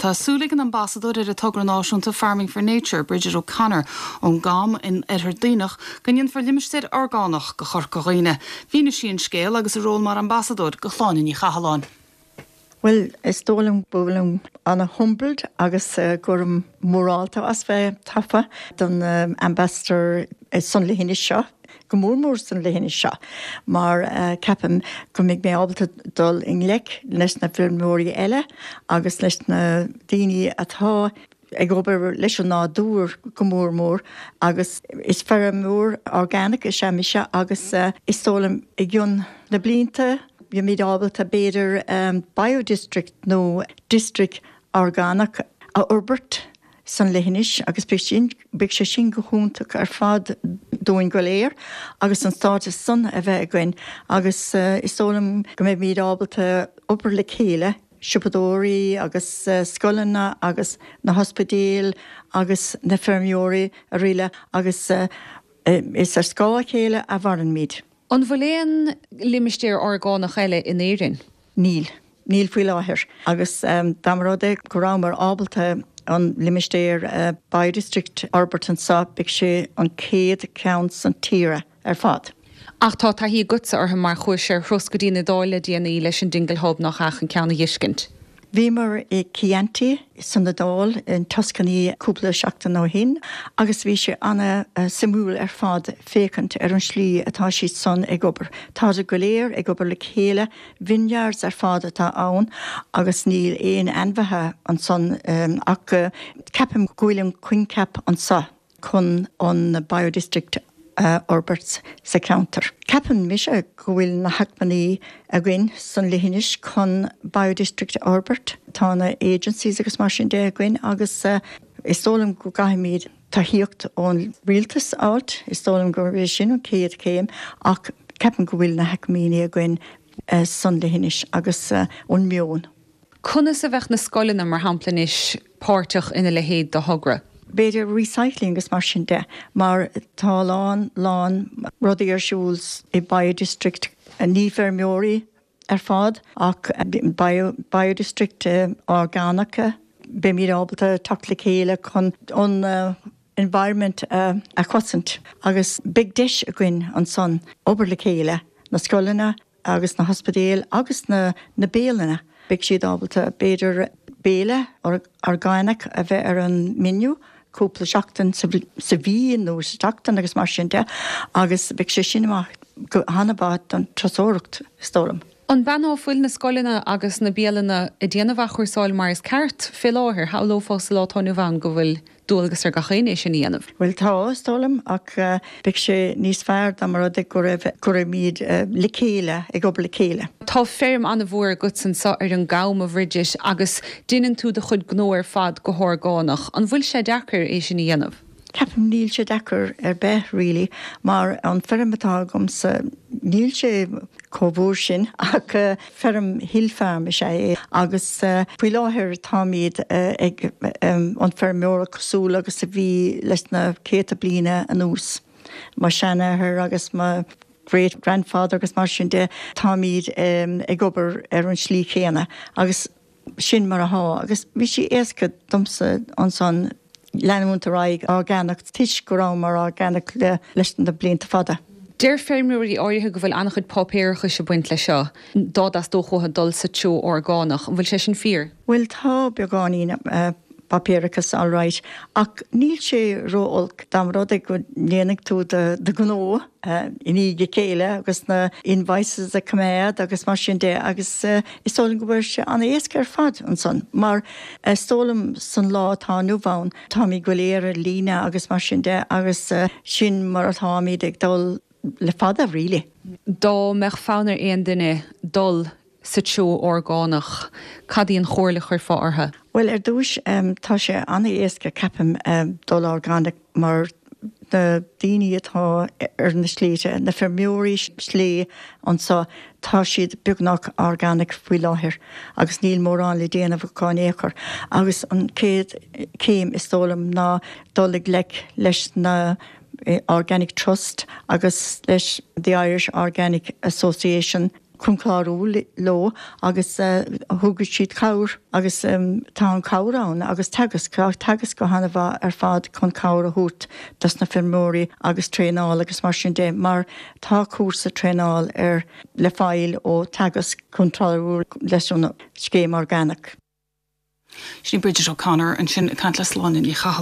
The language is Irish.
Tá súil ag an ambasadóir ar an togra náisiúnta Farming for Nature, Bridget O'Connor, ón gCam in Oirthear Duibhneach, go ndéanfar limistéar orgánach de Chorca Dhuibhne. Mhínigh sí an scéal agus a ról mar ambasadóir do Shláine Ní Chathalláin. Bhuel, is dóigh liom go bhfuilim ana-humbled agus go raibh mórálta as bheith tofa don Ambassador san leithinis seo, go mór mór san leithinis seo, mar ceapaim go mbeidh mé ábalta dul i ngleic leis na feirmeoirí eile agus leis na daoine atá ag obair leis an nádúr go mór mór agus is feirmeoir organic is ea mise agus is dóigh liom i gcionn na blianta beimid ábalta b'fhéidir biodistrict nó district orgánach a fhorbairt san leithinis agus beidh sin beidh sé sin go hiontach ar fad dúinn go léir agus an stádas san a bheith againn agus is dóigh liom go mbeimid ábalta obair le chéile siopadóirí agus scoileanna agus na hospidéil agus na feirmeoirí araile agus is ar scáth a chéile a mhairimid. An bhfuil aon limistéar orgánach eile in Éirinn? Níl. Níl faoi láthair. Agus dá mba rud é go rabhamar ábalta an limistéar biodistrict a fhorbairt anseo, beidh sé an chéad cheann san tír. ar fad. Ach tá taithí agatsa orthu mar chuais ar thuras go dtí an Iodáil le déanaí leis an Dingle Hub, nach ea, chun ceann a dh'fheiscint. Bhíomar i Chianti san Iodáil, in Tuscany cúpla seachtain ó shin agus bhí sé ana suimiúil ar fad féachaint ar an slí atá siad san ag obair. Táid go léir ag obair le chéile, vineyards ar fad atá ann agus níl aon ainmhithe ansan ach ceapaim go bhfuil an coincheap anso. chun an biodistrict a fhorbairt sa cheantar. Ceapann mise go bhfuil na hacmhainní againn san leithinis chun biodistrict a fhorbairt. Tá na agencies agus mar sin de againn agus is dóigh liom go gcaithfimid tacaíocht ón rialtas a fháilt, is dóigh liom gurb é sin an chéad chéim ach ceapaim go bhfuil na hacmhainní againn san leithinis agus an meon. Conas a bheadh na scoileanna, mar shampla anois, páirteach ina leithéid de thogra? B'fhéidir recycling agus mar sin de, mar tá a lán, lán rudaí ar siúl i biodistrict, ní feirmeoirí ar fad ach bio, biodistrict orgánacha, beimid ábalta teacht le chéile chun an environment a chosaint agus beidh deis againn ansan obair le chéile, na scoileanna, agus na hospidéil agus na na bialanna, beidh siad ábalta b'fhéidir béile orgánach a bheith ar an menu cúpla seachtain sa mhí nó sa tseachtain agus mar sin de agus beidh sé sin amach go han-mhaith don turasóireacht, is dóigh liom. An b'ea ná fuil na scoileanna agus na bialanna ag déanamh athchúrsáil mar is ceart fé láthair? Shamhlófá sa lá atá inniu ann go bhfuil dualgas ar gach éinne é sin a dhéanamh. Bhuel tá, is dóigh liom, ach beidh sé níos fearr dá mba rud é go raibh, go raibhimid le chéile, ag obair le chéile. Tá feirm an-mhór agatsa anseo ar an gCam, a Bhridget, agus deineann tú do chuid gnó ar fad go horgánach. An bhfuil sé deacair é sin a dhéanamh? Ceapaim níl sé deacair ar bith really mar an feirm atá agamsa níl sé chomh mhór sin ach feirm hill farm is ea é agus faoi láthair táimid ag an feirmeoireacht cosúil agus a bhí leis na céadta bliana anuas. Mo sheanathair agus mo great grandfather agus mar sin de táimid ag obair ar an slí chéanna agus Sin mar atá, agus bhí sé éasca domsa ansan leanúint ar aghaidh orgánach toisc go rabhamar orgánach leis na blianta fada. Deir feirmeoirí áirithe go bhfuil an-chuid páipéarachais ag baint leis seo, dá dteastódh uathu dul sa treo orgánach. An bhfuil sé sin fíor? Bhuel tá beagáinín páipéarachas alright ach níl sé ró-olc dá mba rud é go ndéanfaidh tú do ghnó i ndiaidh a chéile agus na invoices a choimeád agus mar sin de agus Is dóigh liom go bhfuil sé an-éasca ar fad ansan mar is dóigh liom san lá atá inniu ann táimid go léir ar líne agus mar sin de agus sin mar atáimid ag dul le fada really. Dá mbeadh fonn ar aon duine dul sa treo orgánach, cad í an chomhairle a chuirfeá orthu? Bhuel ar dtúis tá sé an-éasca ceapaim dul orgánach mar na daoine atá ar na sléibhte, na feirmeoirí sléibhe anso, tá siad beagnach organic faoi láthair agus níl mórán le déanamh acu in aon chor. Agus an chéad chéim is dóigh liom ná dul i ngleic leis na Organic Trust agus leis The Irish Organic Association. chun clárú leo agus thug siad cabhair agus tá an cabhair ann agus Teagasc, tá Teagasc go han-mhaith ar fad chun cabhair a thabhairt dos na feirmeoirí agus traenáil agus mar sin de mar tá cúrsa traenáil ar le fáil ó Teagasc chun clárú leis an scéim orgánach. Sin í Bridget O'Connor ansin ag caint le Sláine Ní Chathalláin.